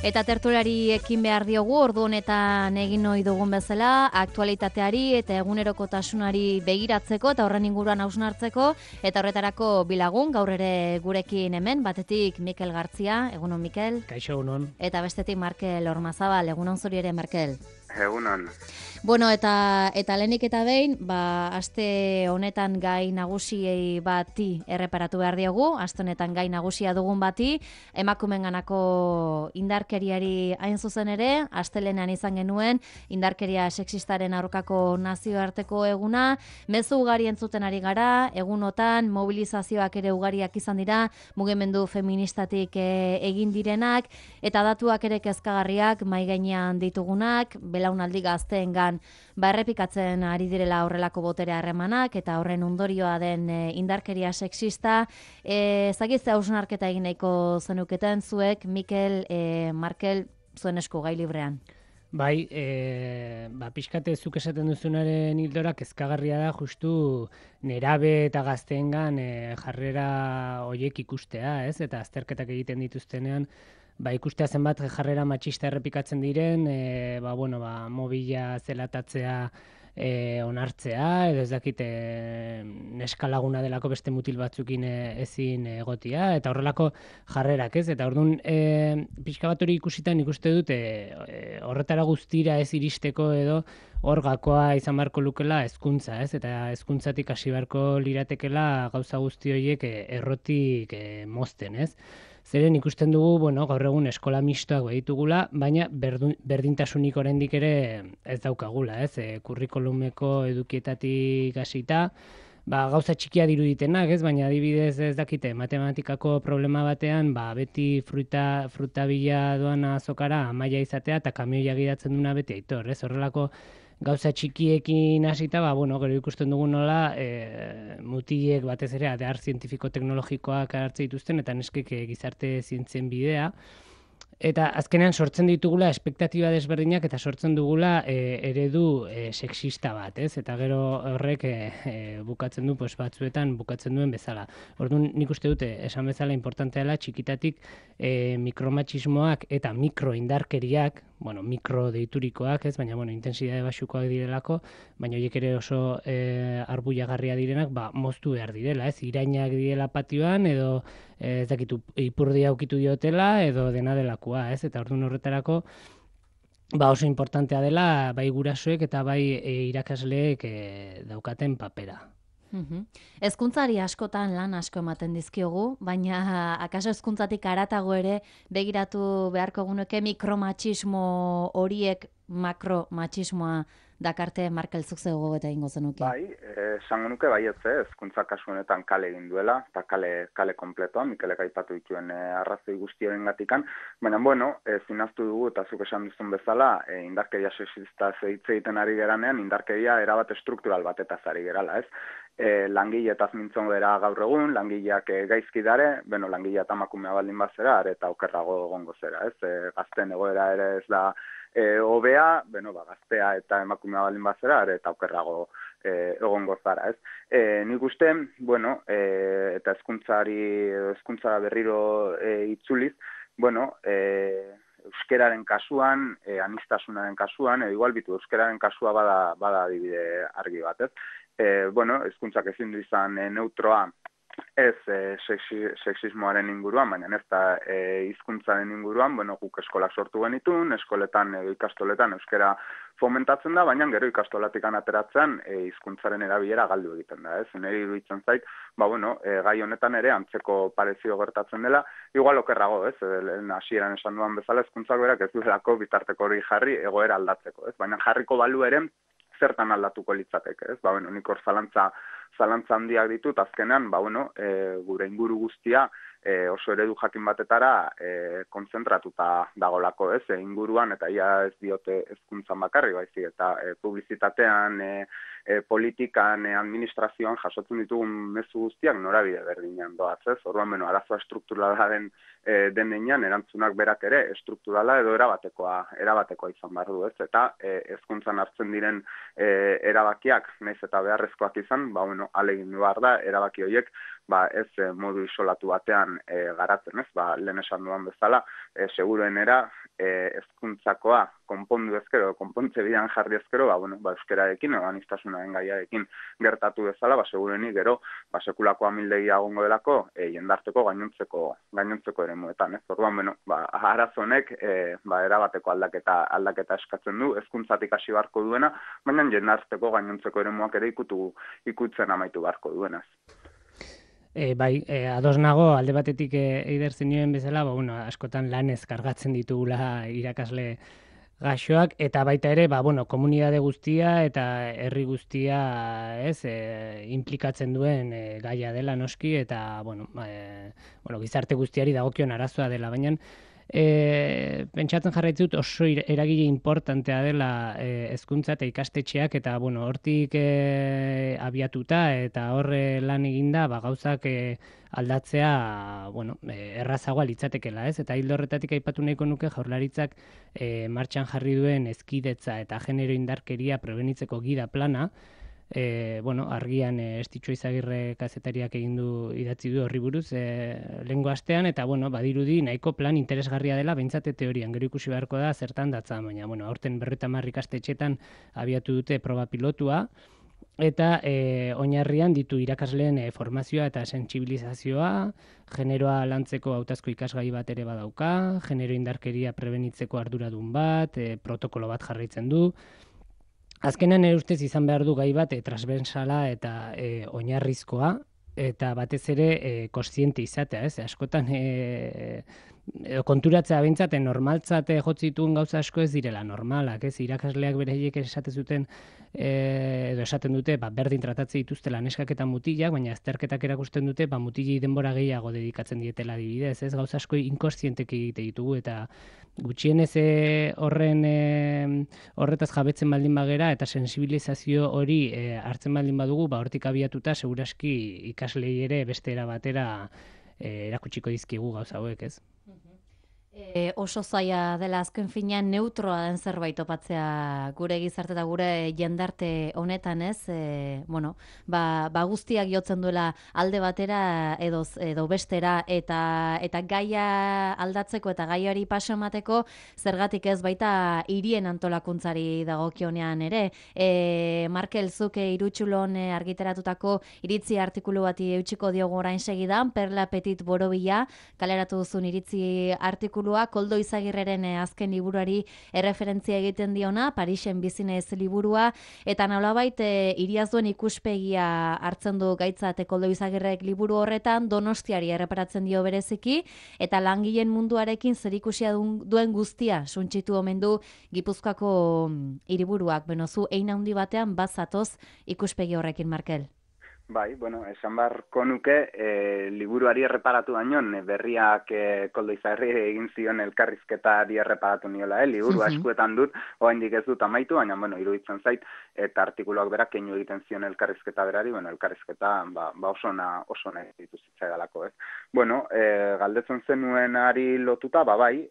Eta tertuliari ekin behar diogu, ordu honetan egin ohi dugun bezala, aktualitateari eta egunerokotasunari begiratzeko eta horren inguruan hausnartzeko, eta horretarako bilagun, gaur ere gurekin hemen, batetik Mikel Gartzia, egunon Mikel. Kaixo, egunon. Eta bestetik Markel Ormazabal, egunon zuri ere Markel. Egunon. Bueno, eta lehenik eta behin, aste honetan gai nagusiei bati erreparatu behar diogu, aste honetan gai nagusia dugun bati, emakumenganako indarkeriari hain zuzen ere, astelenean izan genuen, indarkeria sexistaren aurkako nazioarteko eguna, mezu ugari entzuten ari gara, egunotan, mobilizazioak ere ugariak izan dira, mugimendu feministatik egin direnak, eta datuak ere kezkagarriak, mai gainean ditugunak, belaunaldi gazteengan errepikatzen ari direla horrelako botere harremanak eta horren ondorioa den indarkeria sexista. Zagitze hausnarketa egin nahiko zenuketen zuek, Mikel, Markel, zuen esku gai librean. Bai, pixkate zuk esaten duzunaren hildora kezkagarria da justu nerabe eta gazteengan jarrera horiek ikustea, ez? Eta azterketak egiten dituztenean, ikustea zenbat jarrera matxista errepikatzen diren, mobila zelatatzea onartzea, edo ez dakit neska laguna delako beste mutil batzukin ezin egotia, eta horrelako jarrerak, ez? Eta orduan, pixka bat hori ikusitan ikuste dut, horretara guztira ez iristeko edo hor gakoa izan beharko lukela hezkuntza, ez? Eta hezkuntzatik hasi beharko liratekela gauza guzti horiek errotik mozten, ez? Zeren ikusten dugu, gaur egun eskola mistoak baditugula, baina berdintasunik oraindik ere ez daukagula, ez? Kurrikulumeko edukietatik hasita, gauza txikia diruditenak, ez? Baina adibidez ez dakite, matematikako problema batean, beti fruta bila doana azokara amaia izatea eta kamioia gidatzen duna beti aitor, ez? Horrelako gauza txikiekin hasita, gero ikusten dugu nola mutilek batez ere adar zientifiko-teknologikoak hartze dituzten eta neskek gizarte zientzien bidea. Eta azkenean sortzen ditugula espektatiba desberdinak eta sortzen dugula eredu sexista bat, ez? Eta gero horrek bukatzen du, batzuetan bukatzen duen bezala. Orduan nik uste dute, esan bezala importantea dela txikitatik mikromatxismoak eta mikroindarkeriak, mikro deiturikoak, ez? Baina, intensidade baxukoak direlako, baina horiek ere oso arbuiagarria direnak, moztu behar direla, ez? Irainak direla patioan, edo ez dakitu ipurdia aukitu diotela, edo dena delakoa, ez? Eta orduan horretarako, oso importantea dela, bai gurasoek eta bai irakasleek daukaten papera. Hezkuntzari askotan lan asko ematen dizkiogu, baina akaso hezkuntzatik haratago ere begiratu beharko genuke mikromatxismo horiek makromatxismoa dakarte Markel zuk zego eta ingo zenuke. Bai, esango nuke baietze, hezkuntza kasu honetan kale egin duela, eta kale kompletoa, Mikelek aipatu dituen arrazoi guztiorengatikan, baina zinaztu dugu eta zuk esan duzun bezala, indarkeria sexista hitz egiten ari geranean, indarkeria erabat estruktural batetaz ari gerala, ez? Langileetaz mintzon gara gaur egun, langileak gaizki dare, langilea eta emakumea baldin bazera, eta okerrago egongo zera, ez? Gazten egoera ere ez da hobea, gaztea eta emakumea baldin bazera, eta okerrago egongo zara, ez? Nik uste, eta hezkuntza berriro itzuliz, euskeraren kasuan, anistasunaren kasuan, igual bitu, euskeraren kasua bada adibide argi bat, ez? Hezkuntzak ezin du izan neutroa ez sexismoaren inguruan, baina ez da hizkuntzaren inguruan, guk eskolak sortu genitun, eskoletan edo ikastoletan euskera fomentatzen da, baina gero ikastolatikan ateratzen hizkuntzaren erabilera galdu egiten da, ez? Neri iruditzen zait, gai honetan ere antzeko parezio gertatzen dela, igual okerrago, ez? Hasieran esan duan bezala hezkuntzak berak ez duelako bitarteko hori jarri egoera aldatzeko, ez? Baina jarriko balu ere zertan aldatuko litzateke, ez? Nik hor zalantza handiak ditut, azkenean, gure inguru guztia oso eredu jakin batetara kontzentratuta dagolako, ez? Inguruan, eta ia ez diote hezkuntzan bakarri, baizik, eta publizitatean, politikan, administrazioan jasotzen ditugun mezu guztiak norabide berdinean doaz, ez? Orduan, arazoa estrukturala den nenean, erantzunak berak ere estrukturala edo erabatekoa izan behar du, ez? Eta hezkuntzan hartzen diren erabakiak, naiz eta beharrezkoak izan, alegin behar da, erabaki horiek, ez modu isolatu batean garatzen, ez? Lehen esan duan bezala, seguruenera hezkuntzakoa konpondu ezkero, konpontze bidean jarri ezkero, euskerarekin, aniztasunaren gaiarekin gertatu bezala, segurenik gero, sekulako amildegia egongo delako, jendarteko gainontzeko eremuetan, ez? Orduan, arazo honek, erabateko aldaketa eskatzen du, hezkuntzatik hasi beharko duena, baina jendarteko gainontzeko eremuak ere ikutzen amaitu beharko duenaz. Ados nago, alde batetik eider zenioen bezala, askotan lanez kargatzen ditugula irakasle gaxoak, eta baita ere, komunitate guztia eta herri guztia implikatzen duen gaia dela noski, eta gizarte guztiari dagokion arazoa dela, baina pentsatzen jarraitzen dut oso eragile importantea dela hezkuntza eta ikastetxeak, eta hortik abiatuta eta horre lan eginda gauzak aldatzea errazagoa litzatekela, ez? Eta hildo horretatik aipatu nahiko nuke Jaurlaritzak martxan jarri duen hezkidetza eta genero indarkeria prebenitzeko gida plana, argian Estitxo Izagirre kazetariak idatzi du horri buruz lehengo astean, eta badirudi nahiko plan interesgarria dela, behintzat teorian, gero ikusi beharko da zertan datza, baina aurten 50 ikastetxetan abiatu dute proba pilotua, eta oinarrian ditu irakasleen formazioa eta sentsibilizazioa, generoa lantzeko hautazko ikasgai bat ere badauka, genero indarkeria prebenitzeko arduradun bat, protokolo bat jarraitzen du. Azkenan ustez izan behar du gai bat transversala eta oinarrizkoa, eta batez ere kontziente izatea, ez? Askotan konturatzea behintzat normaltzat jotzituen gauza asko ez direla normalak, ez? Irakasleak beraiek esaten zuten edo esaten dute berdin tratatze dituztela neskak eta mutilak, baina azterketak erakusten dute mutilei denbora gehiago dedikatzen dietela adibidez, ez? Gauza asko inkontzienteki egite ditugu, eta gutxienez horretaz jabetzen baldin bagera eta sensibilizazio hori hartzen baldin badugu, hortik abiatuta seguraski ikaslei ere beste era batera erakutsiko dizkigu gauza hauek, ez? Oso zaila dela azken finean neutroa den zerbait topatzea gure gizarte eta gure jendarte honetan, ez? Guztiak jotzen duela alde batera edo bestera, eta gaia aldatzeko eta gaiari paso emateko zergatik ez baita hirien antolakuntzari dagokionean ere. Markel, zuk Irutxulon argitaratutako iritzi artikulu bati eutxiko diogu orain segidan, Perla Petit Borobila kaleratu duzun iritzi artikulu Koldo Izagirreren azken liburuari erreferentzia egiten diona, Parisen bizinez liburua, eta nolabait hiriaz duen ikuspegia hartzen du gaitzat Koldo Izagirrek liburu horretan, Donostiari erreparatzen dio bereziki, eta langileen munduarekin zerikusia duen guztia suntsitu omen du Gipuzkoako hiriburuak. Zu hein handi batean bazatoz ikuspegi horrekin, Markel? Bai, esan beharko nuke, liburuari erreparatu baino, berriak Koldo Izagirre egin zion elkarrizketari erreparatu niola, liburu askuetan dut, oraindik ez dut amaitu, baina, iruditzen zait, eta artikuluak berak keinu egiten zion elkarrizketa berari, elkarrizketa oso nahi ditu zitzaidalako, ez. Galdetzen zenuenari lotuta, bai,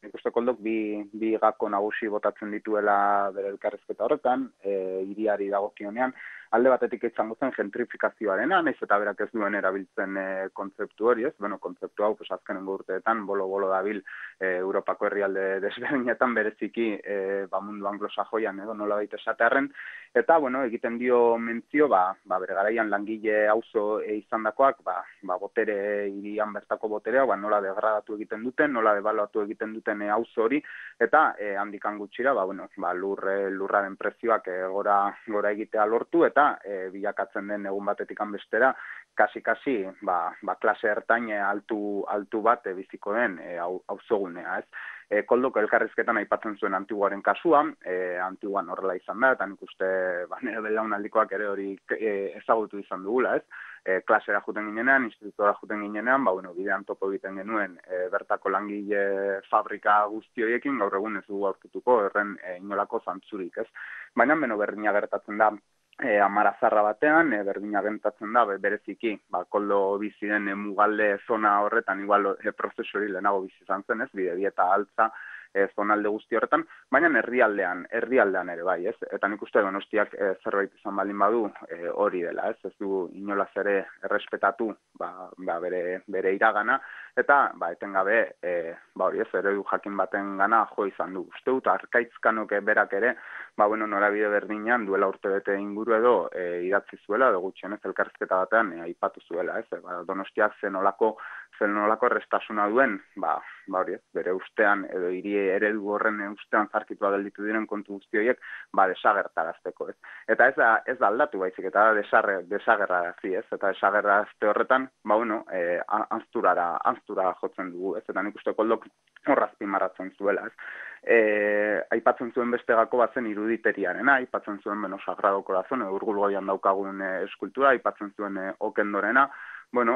nik uste Koldok bi gako nagusi botatzen dituela bere elkarrizketa horretan, hiriari dagokionean, alde batetik izango zen gentrifikazioarena, nahiz eta berak ez duen erabiltzen kontzeptu hori, ez? Kontzeptu hau, azkenengo urteetan, bolo dabil Europako herrialde desberdinetan bereziki mundu anglosajoian edo nola baita esatearren, eta, egiten dio mentzio, bere garaian langile auzo izandakoak, botere, hirian bertako boterea, nola degradatu egiten duten, nola debaluatu egiten duten auzo hori, eta handikan gutxira, lurraren prezioak gora egitea lortu, eta bilakatzen den egun batetikan bestera, kasi, klase ertain altu bat biziko den auzogunea, ez? Koldoko elkarrizketan aipatzen zuen Antiguaren kasua, Antiguan horrela izan da, eta nik uste nire belaunaldikoak ere hori ezagutu izan dugula, ez? Klasera juten ginenean, institutora juten ginenean, bidean topo egiten genuen bertako langile fabrika guzti horiekin, gaur egun ez dugu aurkituko erren inolako zantzurik, ez? Baina berdina gertatzen da amarazarra batean, berdina gentatzen da, bereziki, koldo biziren mugalde zona horretan, igual prozesu hori lehenago bizi izan zen, ez, Bidebieta altza, zonalde guzti horretan, baina herrialdean ere bai, ez? Eta nik uste Donostiak zerbait izan baldin badu hori dela, ez? Ez du inolaz ere errespetatu bere iragana, eta etengabe hori ez, eredu jakin baten gana jo izan du. Uste dut, Arkaitzkanok berak ere, norabide berdinean duela urtebete inguru edo idatzi zuela, edo gutxienez elkarrizketa batean aipatu zuela, ez? Donostiak zenolako errestasuna duen, hori ez, bere ustean edo hiri eredu horren ustean zarkitua gelditu diren kontu guzti horiek, desagertarazteko, ez. Eta ez da aldatu baizik, eta desagerrarazi, ez. Eta desagerrarazte horretan, anztura jotzen dugu, ez. Eta nik uste koldok horrazpimarratzen zuela, ez. Aipatzen zuen beste gako batzen iruditeriarena, aipatzen zuen Sagrado Corazon, Urgulgoian daukagun eskultura, aipatzen zuen Okendorena,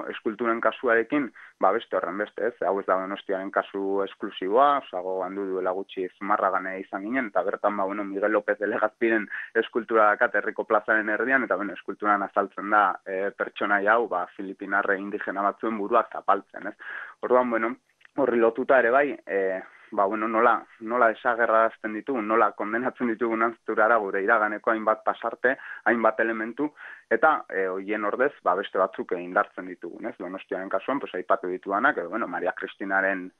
eskulturen kasuarekin, beste horren beste, ez, hau ez da Donostiaren kasu esklusiboa, osago handu duela gutxi Zumarragane izan ginen, eta bertan, Miguel López de Legazpiren eskultura dakat herriko plazaren erdian, eta eskulturan azaltzen da pertsonaia hau, filipinarre indigena batzuen buruak zapaltzen, ez. Orduan, horri lotuta ere bai, nola desagerrarazten ditugu, nola kondenatzen ditugu anzturara gure iraganeko hainbat pasarte, hainbat elementu, eta horien ordez, beste batzuk indartzen ditugu, ez? Donostiaren kasuan, aipatu ditudanak, edo, Maria Kristinaren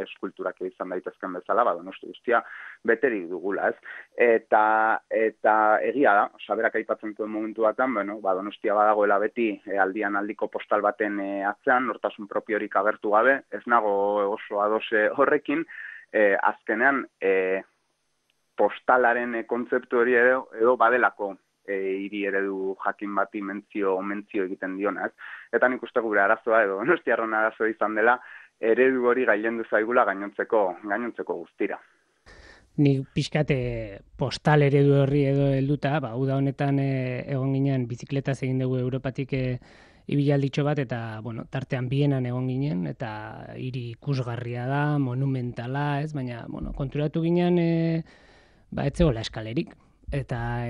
eskulturak izan daitezken bezala, Donosti guztia beterik dugula, ez? Eta egia da, berak aipatzen zuen momentu batean, Donostia badagoela beti aldian aldiko postal baten atzean, nortasun propiorik agertu gabe, ez nago oso adose horrekin, azkenean postalaren kontzeptu hori edo badelako hiri eredu jakin bati mentzio egiten dionaz. Eta nik uste gure arazoa edo Donostiarron arazoa izan dela, eredu hori gailendu zaigula gainontzeko guztira. Nik pixkate postal eredu horri edo helduta, uda honetan egon ginen bizikletaz egin dugu Europatik ibilalditxo bat, eta tartean Bienan egon ginen, eta hiri ikusgarria da, monumentala, ez, baina konturatu ginen ez zegoela eskalerik. Eta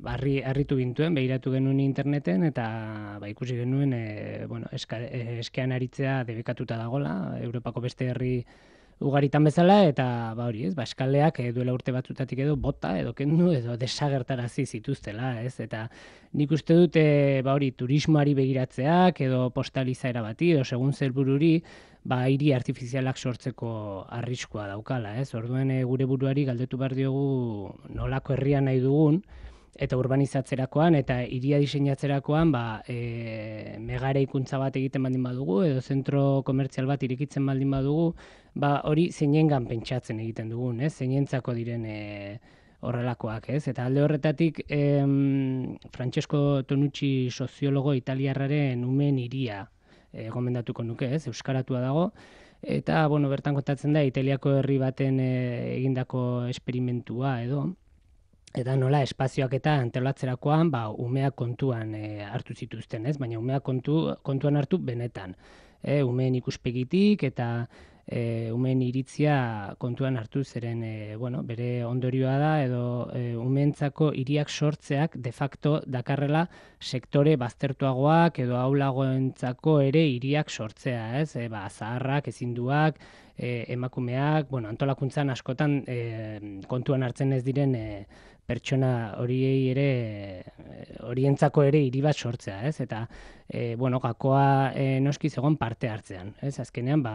harritu gintuen, behiratu genuen interneten, eta ikusi genuen eskean aritzea debekatuta dagoela, Europako beste herri ugaritan bezala, eta hori ez, eskaleak duela urte batzutatik edo bota, edo kendu, edo desagertarazi zituztela, ez? Eta nik uste dut, turismoari begiratzeak, edo postalizaera bati, edo segun zelbururi, hiri artifizialak sortzeko arriskua daukala, ez? Orduan gure buruari galdetu behar diogu nolako herria nahi dugun, eta urbanizatzerakoan, eta hiria diseinatzerakoan, megareikuntza bat egiten baldin badugu, edo zentro komertzial bat irekitzen baldin badugu, hori zeinengan pentsatzen egiten dugun, ez? Zeinentzako diren horrelakoak, ez? Eta alde horretatik, Francesco Tonucci soziologo italiarraren Umeen hiria gomendatuko nuke, ez? Euskaratua dago, eta, bertan kontatzen da, Italiako herri baten egindako esperimentua edo, eta nola espazioak eta antolatzerakoan, umeak kontuan hartu zituzten, ez? Baina umeak kontuan hartu benetan. Umeen ikuspegitik eta umeen iritzia kontuan hartu zeren, bere ondorioa da, edo umeentzako hiriak sortzeak de facto dakarrela sektore baztertuagoak edo aulagoentzako ere hiriak sortzea, ez? Zaharrak, ezinduak, emakumeak, antolakuntzan askotan kontuan hartzen ez diren pertsona horientzako ere hiri bat sortzea, ez? Eta, gakoa noski zegoen parte hartzean, ez? Azkenean,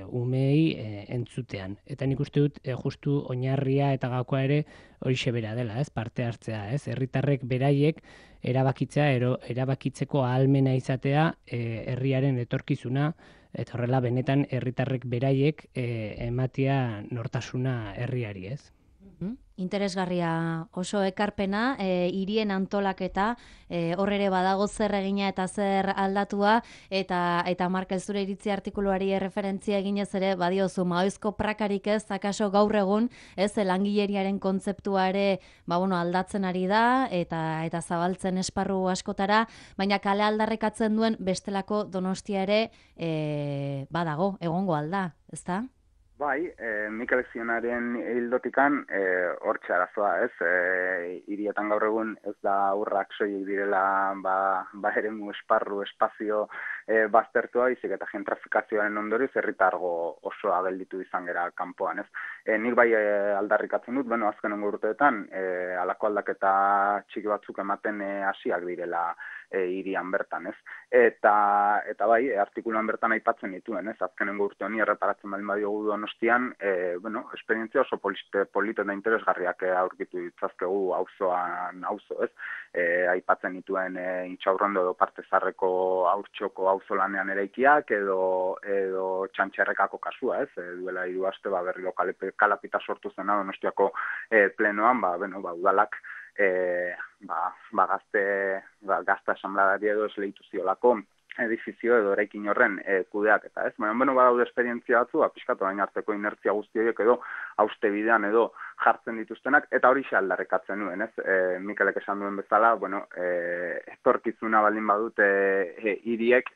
umei entzutean. Eta nik uste dut, justu oinarria eta gakoa ere horixe bera dela, ez? Parte hartzea, ez? Herritarrek beraiek erabakitzeko ahalmena izatea herriaren etorkizuna, eta horrela benetan herritarrek beraiek ematea nortasuna herriari, ez? Interesgarria oso ekarpena, hirien antolaketa, hor ere badago zer egina eta zer aldatua, eta Markel zure iritzi artikuluari referentzia eginez ere, badiozu, maoizko prakarik ez, akaso gaur egun, ez, langileriaren kontzeptua ere, aldatzen ari da, eta zabaltzen esparru askotara, baina kale aldarrekatzen duen bestelako Donostia ere, badago, egongo alda, ezta? Bai, Mikel Zionaren hildotikan hortxe arazoa, ez? Hirietan gaur egun ez da urrak soilik direla eremu esparru, espazio baztertua, izik eta gentrifikazioaren ondorioz herritargo osoa gelditu izan gera kanpoan, ez? Nik bai aldarrikatzen dut, azkenengo urteetan halako aldaketa txiki batzuk ematen hasiak direla hirian bertan, ez? Eta bai, artikuluan bertan aipatzen dituen, ez? Azkenengo urte honi erreparatzen baldin badiogu Donostian, esperientzia oso polito eta interesgarriak aurkitu ditzazkegu auzo, ez? Aipatzen dituen Intxaurrondo edo Parte Zarreko Haurtxoko auzolanean eraikiak edo Txantxerrekako kasua, ez? Duela 3 aste berriro kalapita sortu zena Donostiako plenoan, udalak gazta asamblea edo esleitu ziolako edifizio edo eraikin horren kudeaketa, ez? Badaude esperientzia batzu, pixkatu baina arteko inertzia guzti horiek edo hauste bidean edo jartzen dituztenak, eta hori aldarrikatzen nuen, ez? Mikelek esan duen bezala, etorkizuna baldin badute hiriek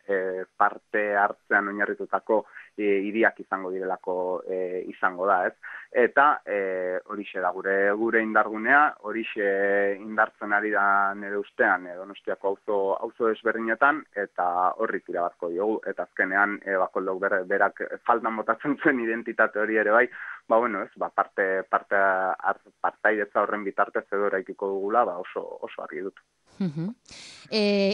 parte hartzean oinarritutako hiriak izango direlako izango da, ez? Eta horixe da gure indargunea, horixe indartzen ari da nire ustean Donostiako auzo desberdinetan, eta horri tira batko diogu, eta azkenean Bakoldok berak faltan botatzen zuen identitate hori ere bai, partaidetza horren bitartez edo eraikiko dugula, oso argi dut.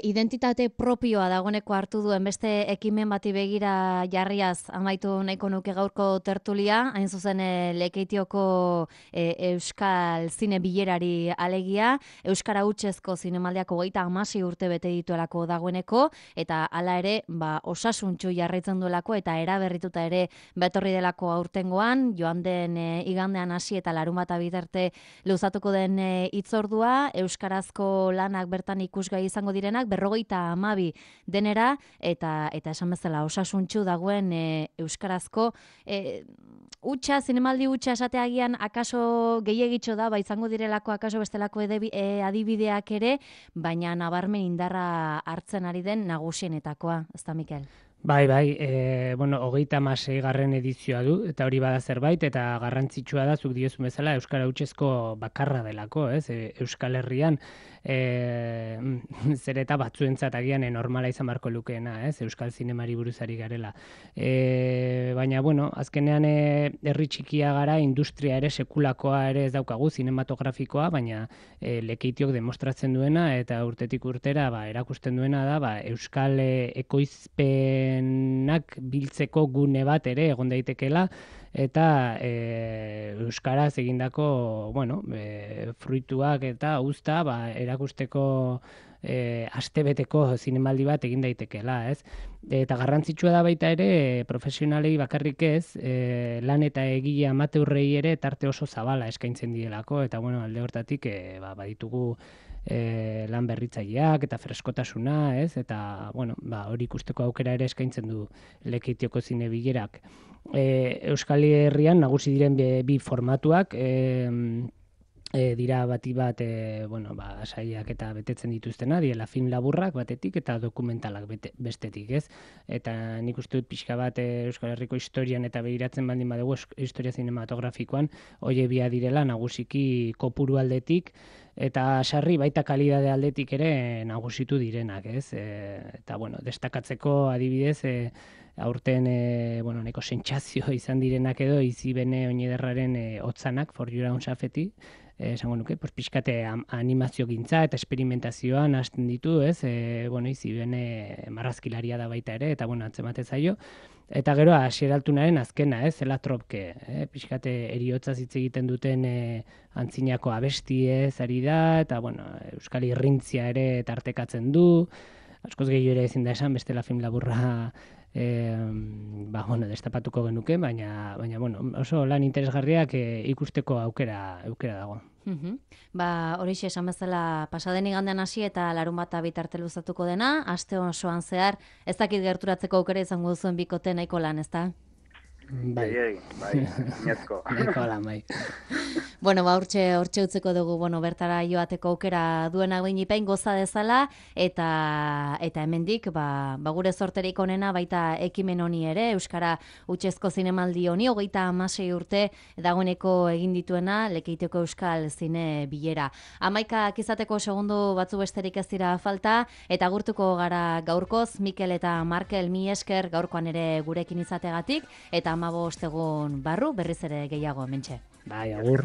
Identitate propioa dagoeneko hartu duen beste ekimen bati begira jarriaz amaitu nahiko nuke gaurko tertulia, hain zuzen Lekeitioko Euskal Zine Bilerari alegia, Euskara hutsezko zinemaldiak 36 urte bete dituelako dagoeneko, eta hala ere, osasuntsu jarraitzen duelako eta eraberrituta ere betorri delako aurtengoan, joan den igandean hasi eta larunbata bitarte luzatuko den hitzordua, euskarazko lanak bertan ikusgai izango direnak 52 denera, eta esan bezala osasuntsu dagoen euskarazko zinemaldi hutsa esateagian akaso gehiegitxo da, izango direlako akaso bestelako adibideak ere, baina nabarmen indarra hartzen ari den nagusienetakoa, ezta Mikel? Bai, 36. edizioa du, eta hori bada zerbait, eta garrantzitsua da, zuk diozun bezala, Euskara hutsezko bakarra delako, ez? Euskal Herrian, zer eta batzuentzat agian normala izan barko lukeena, ez? Euskal zinemari buruzari garela. Baina, azkenean herri txikia gara, industria ere sekulakoa ere ez daukagu, zinematografikoa, baina Lekeitiok demostratzen duena, eta urtetik urtera erakusten duena da, Euskal ekoizpenak biltzeko gune bat ere egon daitekeela, eta euskaraz egindako fruituak eta uzta erakusteko astebeteko zinemaldi bat egin daitekeela, ez? Eta garrantzitsua da baita ere profesionalei bakarrik ez, lan eta egile amateurrei ere tarte oso zabala eskaintzen dielako, eta alde hortatik baditugu lan berritzaileak eta freskotasuna, ez? Eta hori ikusteko aukera ere eskaintzen du Lekeitioko zine bilerak. Euskal Herrian nagusi diren bi formatuak dira bati bat saiak eta betetzen dituztena, diela film laburrak batetik eta dokumentalak bestetik, ez? Eta nik uste dut pixka bat Euskal Herriko historian eta begiratzen baldin badugu historia zinematografikoan, hori bia direla nagusiki kopuru aldetik, eta sarri baita kalidade aldetik ere nagusitu direnak, ez? Eta destakatzeko adibidez, aurten neko sentsazio izan direnak edo Izibene Oñederraren hotzanak, For Your Own Safety, esango nuke, pixkate animazio gintza eta experimentazioan hasten ditu, ez? Izibene marrazkilaria da baita ere, eta atzemate zaio. Eta gero, Asier Altunaren azkena, Zela Tropke, pixkate eriotza hitz egiten duten antzinako abestiez ari da, eta Euskal Irrintzia ere tartekatzen du, askoz gehiago ere ezin da esan, bestela film laburra destapatuko genuke, baina oso lan interesgarriak ikusteko aukera dago. Horixe esan bezala pasaden igandean hasi eta larunbata bitarte luzatuko dena, aste osoan zehar, ez dakit gerturatzeko aukera izango duzuen bikote nahiko lan, ezta? Bai. Inezko. Nahiko ala, bai. Bueno, hortxe utzeko dugu, bertara joateko aukera duena guinipein goza dezala, eta hemendik, gure zorterik onena baita ekimen honi ere, Euskara Hutsezko Zinemaldi honi, 36 urte dagoeneko egin dituena, Lekeitioko Euskal Zine Bilera. 11 izateko segundu batzu besterik ez dira falta, eta agurtuko gara gaurkoz, Mikel eta Markel, mi esker gaurkoan ere gurekin izategatik, eta 15 egun barru berriz ere gehiago hementxe. Bai, agur.